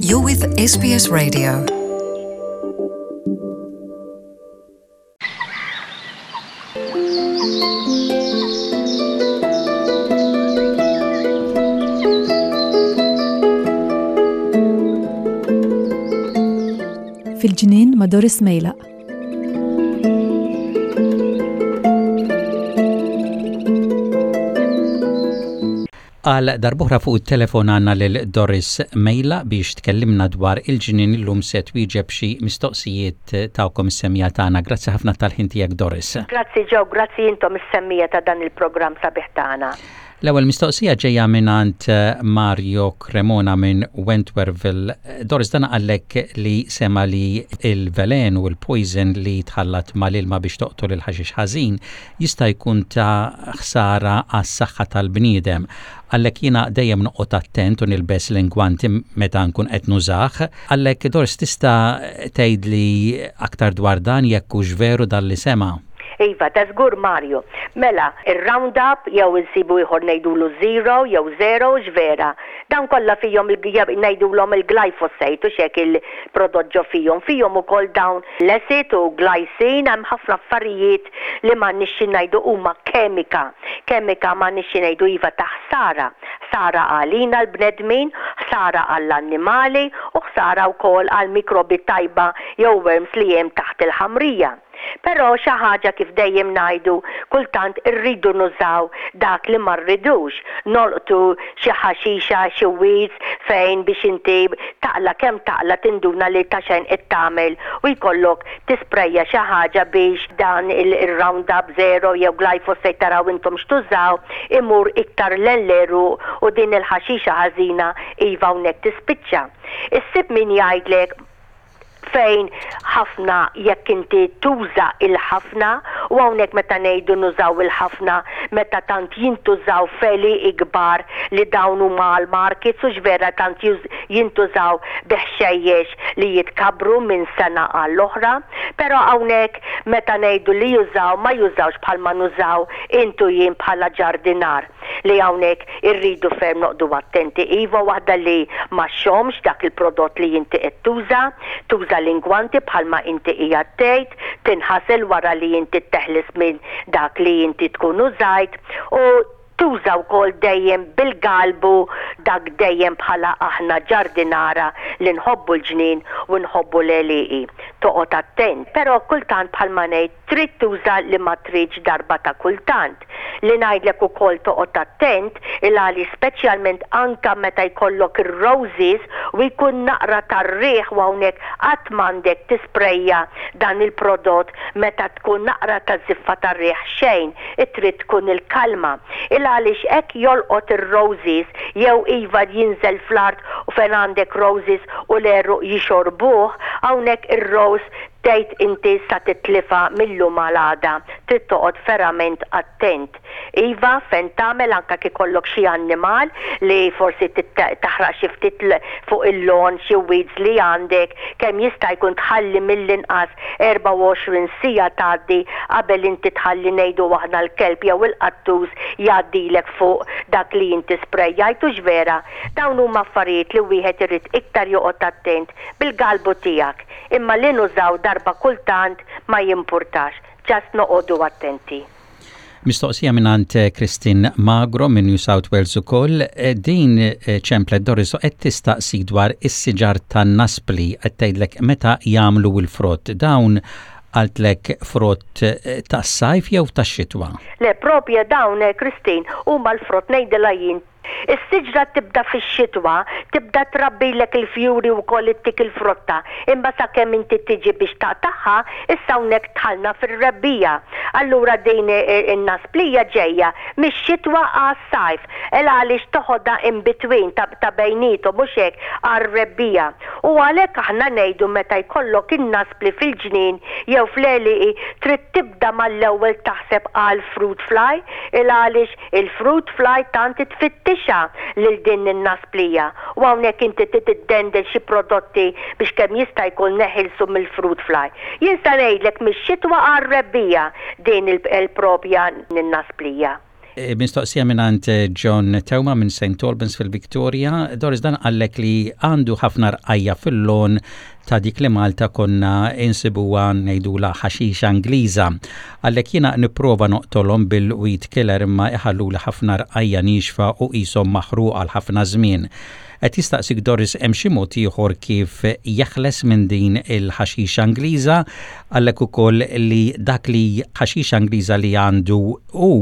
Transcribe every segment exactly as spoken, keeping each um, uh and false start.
You're with S B S Radio. Fil-ġnien ma' Doris Mejlaq. Għal darb'oħra fuq it-telefon għandna lil Doris Mejlaq biex tkellimna dwar il-ġnien. Illum se twieġeb xi mistoqsijiet tagħkom is-semmiegħa tagħna. Grazzi ħafna tal-ħin tiegħek, Doris. Grazzi Joe, grazzi intom is-semmiegħa ta' dan il-programm sabiħ tagħna. L-ewwel mistoqsija ġejja minn Mario Cremona minn Wentworthville. Doris, dan qallek li sema li il-velen u l-poison li tħallat mal-ilma biex toqtol il-ħaxix ħażin jista' jkun ta' ħsara għas-saħħa tal-bniedem. Qallek, jiena dejjem noqgħod attent u nilbes l-ingwanti meta nkun qed nużah. Qallek, Doris, tista' tgħidli aktar dwar dan, jekk hux veru dan li sema'? Iva, ta' żgur, Mario. Mela, il-Roundup jew insibu ieħor ngħidulu zero jew zero x'vera. Dan kollha fihom ngħidulhom il-glyphosate u xek il-prodott ġo fihom. Fihom ukoll dawn l-acid u glycine, hemm ħafna affarijiet li ma nixxi ngħidu huma kemika. Kemika ma nixxi ngħidu, iva, ta' ħsara. Ħsara għalina l-bnedmin, ħsara għall-annimali u ħsara wkoll għall-mikrobi tajba jew worms li hemm taħt il-ħamrija. Però xi ħaġa, kif dejjem ngħidu, kultant irridu nużaw dak li ma rridux. Nolqtu xi ħaxixa, xi weeds fejn biex inti taqla kemm taqla tinduna li ta' xejn qed tagħmel u jkollok tisprejja xi ħaġa biex dan il-Roundup Zero jew glyphosate, taraw intom x'tużaw, imur iktar l-elleru u din il-ħaxixa ħażina, iva, hawnhekk tispiċċa. Issib min jgħidlek fejn ħafna jekk inti tuża il-ħafna, u hawnhekk meta ngħidu nużaw il-ħafna, meta tant jintużaw feli ikbar li dawn huma għal-markets u vera tant jintużaw biħxejjex li jitkabru minn sena għall-oħra, però hawnhekk meta ngħidu li jużaw, ma jużawx bħalma nużaw intu jien bħala ġardinar, li hawnhekk irridu ferm noqogħdu attenti. Iva, waħda li ma xomx dak il-prodott li inti qed tuża, tuża l-ingwanti bħalma inti hija tgħid, tinħasel wara li inti teħlis minn dak li inti tkun użajt u tuża wkoll dejjem bil-galbu, dak dejjem bħala aħna ġardinara li nħobbu l-ġnien u nħobbu l-għelieqi. Toqgħod attent, però kultant, bħalma ngħid, trid tuża li ma tridx darba ta' kultant. Li ngħidlek ukoll toqgħod attent il-għali, speċjalment anka meta jkollok ir-roses u jkun naqra tar-riħ, u hawnhekk qatt m'għandek tisprejja dan il-prodott meta tkun naqra ta' żiffa tar-riħ, xejn, trid tkun il-kalma. Il għaliex hekk jolqot ir-roses jew, iva, jinżel fl-art u fejn għandek roses u l-għeruq jixorbuh, hawnhekk ir-rose tgħid inti sa titlifa mill-lum għal. Trid toqgħod verament attent. Iva, fejn tagħmel anka ikollok xi annimal li forsi taħraq xi ftit fuq il-lawn xi weeds li għandek, kemm jista' jkun tħalli mill-inqas erbgħa u għoxrin siegħa tgħaddi qabel inti tħalli, ngħidu aħna, l-kelb jew il-qattus jgħaddilek fuq dak li inti sprejjajtu vera. Dawn huma affarijiet li wieħed irid iktar joqgħod attent bil-galbu tiegħek. Imma li nużaw darba kultant ma jimpurtax, just noqogħdu attenti. Mistoqsija minn Christine Magro minn New South Wales ukoll, eh, din eh, ċemplet, Doris, qed tistaqsi dwar is-siġar tan-naspli, qed tgħidlek meta jagħmlu l-frott. Dawn, qaltlek, frott eh, tas-sajf jew tax-xitwa? Le, propja dawn, Christine, huma l-frott, ngħidilha jien. Is-siġra tibda fix-xitwa, tibda trabbilek il-fjuri u koll ittik il-frotta, imma sakemm inti tiġi biex taqtagħha, issa hawnhekk dħalna fir-rebbiegħa. Allura din in-nasplija ġejja mix-xitwa għas-sajf, el għaliex toħodha in between, ta', ta bejnietu, mhux hekk, għar-rebbiegħa. U għalhekk aħna ngħidu meta jkollok in-naspli fil-ġnien jew fl-għelieqi trid tibda mal-ewwel taħseb għal fruit fly, il għaliex il-fruit fly tant tfittixha lil din in-nasplija. U hawnhekk inti tiddendel xi prodotti biex kemm jista' jkun neħilsu mill-fruit fly. Jien sa ngħidlek mix-xitwa għar-rebbiegħa din il-propja n-nasplija. E, mistoqsija mingħand John Teuma minn Saint Albans fil-Victoria. Doris, dan qallek li għandu ħafna rqajja fil-lawn ta' dik li Malta konna insibuha ngħidula ħaxixa Ingliża. Qallek jiena nipprova noqtolhom bil-weed killer imma iħallu li ħafna rqajja nixfa u qishom maħruq għal ħafna żmien. Qed jistaqsik, Doris, hemm xi mod ieħor kif jeħles minn din il-ħaxixa Ingliża? Qallek ukoll li dak li ħaxixa Ingliża li għandu u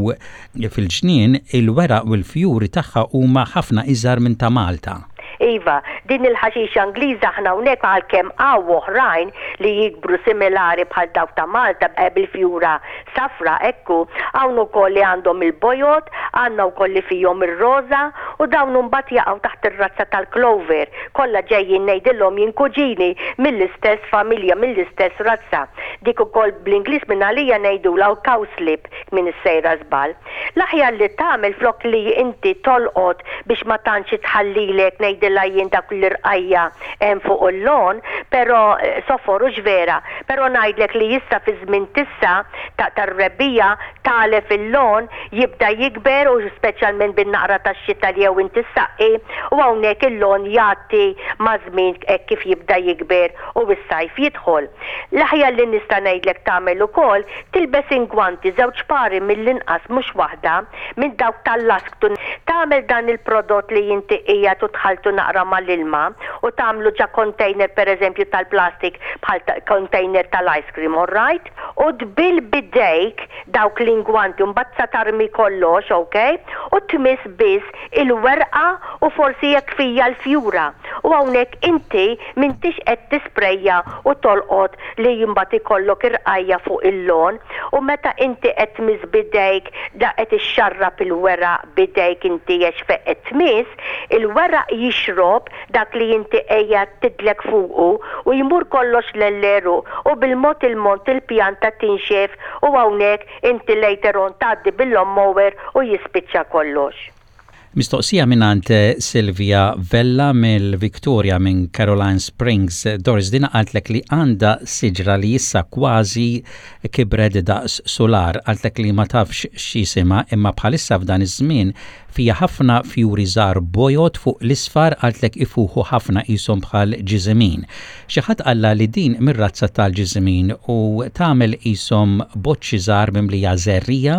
fil-ġnien, il-weraq u l-fjuri tagħha huma ħafna iżgħar minn ta' Malta. Iva, din il-ħaxixa Ingliża aħna hawnhekk, għalkemm hawn oħrajn li jikbru similari bħal dawk ta' Malta eh, bil-fjura safra ekku, hawn ukoll li għandhom il-bojod, għandna wkoll li fihom ir-roża u dawn mbagħad jaqgħu taħt ir-razza tal-clover. Kollha ġejjin, ngħidilhom jien, kuġini mill-istess familja, mill-istess razza. Dik ukoll bl-Ingliż minn għalija ngħidulha cowslip minn is-sejra żball. L-aħjar li tagħmel, flok li inti tolqot biex ma tantx tħallilek, ngħidilha jien, dak l-irqajja hemm fuq il-lawn, però eh, sofor u vera, però ngħidlek li issa fi żmien tissa ta' tar-rebbiegħa tagħlef il-lawn jibda jikber u speċjalment bin-naqra tax-xita li jew inti saqqi u hawnhekk il-lawn jagħti ma' żmien hekk kif jibda jikber u s-sajf jidħol. L-aħjar li nista' ngħidlek tagħmel ukoll, tilbes ingwanti, żewġ pari mill-inqas, mhux waħda, minn dawk tal-lasktu. Tagħmel dan il-prodott li inti qiegħed u tħaltu naqra mal-ilma u tagħmlu ġo container, pereżempju tal-plastik bħal container tal-ice cream, all right? U tbill bidejk dawk l-ingwanti, mbagħad sa tarmi kollox, ok? U tmiss biss il-werqa u forsi jekk fija l-fjura. U hawnhekk inti m'intix qed tisprejja u tolqot li mbagħad ikollok irqajja fuq il-lawn, u meta inti qed tmiss bidejk da qed ixxarrab il-weraq bidejk inti għax fejn qed tmiss, il-weraq jixrob dak li inti qiegħed tidlek fuqu u jmur kollox l-għeruq u bil-mod il-mod il-pjanta tinxef u hawnhekk inti later on tgħaddi bil-lawnmower u jispiċċa kollox. Mistoqsija mingħand Silvia Vella mill-Victoria minn Caroline Springs. Doris, dina qaltlek li għandha siġra li issa kważi kibret daqs solar. Qaltlek li ma tafx x'jisimha imma bħalissa f'dan iż-żmien fija ħafna fjuri żgħar bojod fuq l-isfar. Qaltlek ifuħu ħafna, qishom bħal ġiżimin. Xi ħadd qalla li din mir-razza tal-ġiżimin u tagħmel qishom boċċi żgħar mimlija żerriegħa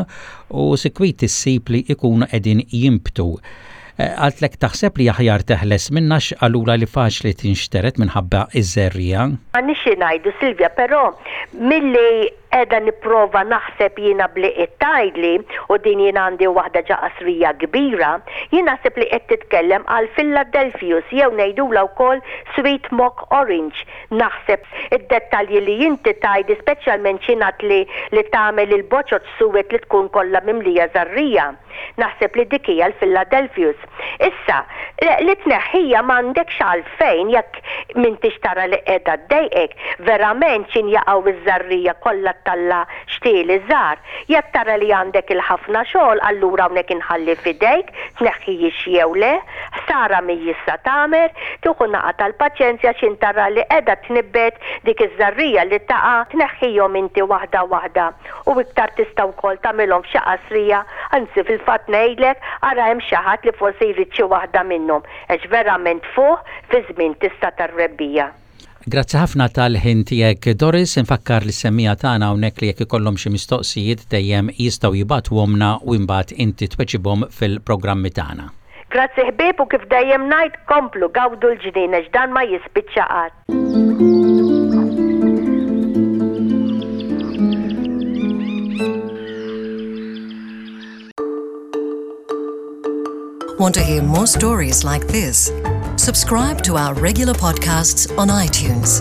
u sikwit issib li ikunu qegħdin jinbtu. Qaltlek taħseb li aħjar teħles minnha għax qalula li faċli tinxteret minħabba iż-żerriegħa? M'għandniex ngħidu, Silvia, però milli qiegħda nipprova naħseb jiena bli tgħidli u din jien għandi waħda ġo qasrija kbira, jien naħseb li qed titkellem għal Philadelphus jew ngħidula wkoll Sweet Mock Orange. Naħseb id-dettalji li inti tgħidi, speċjalment x'ingħad li li tagħmel il-boċoċ suwed li tkun kollha mimlija żerriegħa. Naħseb li dik hija l-Philadelphus. Issa, li tneħħija m'għandekx għalfejn jekk m'intix tara li qiegħda ddejqek, verament x'ħin jaqgħu iż-żerriegħa kollha ttella' xtieli żgħar. Jekk tara li għandek il-ħafna xogħol, allura hawnhekk inħalli f'idejk tneħħijiex jew le, ħsara mhijiex sa tagħmel, tieħu naqa tal-paċenzja x'ħin tara li qiegħda tnibbet dik iż-żerriegħa li taqa', tneħħihom inti waħda waħda u iktar tista' wkoll tagħmilhom f'xi qasrija, anzi fil-fatt ngħidlek ara hemm xi ħadd li forsi jrid xi waħda minnhom għax verament fuq fi żmien tista' tar-rebbiegħa. Grazzi ħafna tal-ħin tiegħek, Doris. Infakkar lis-semmiegħa tagħna hawnhekk li jekk ikollhom xi mistoqsijiet dejjem jistgħu jibagħtuhomlna u imbagħad inti tweġibhom fil-programmi tagħna. Grazzi ħbieb, u kif dejjem ngħid, komplu gawdu l-ġnien għax dan ma jispiċċa qatt. Want to hear more stories like this? Subscribe to our regular podcasts on iTunes.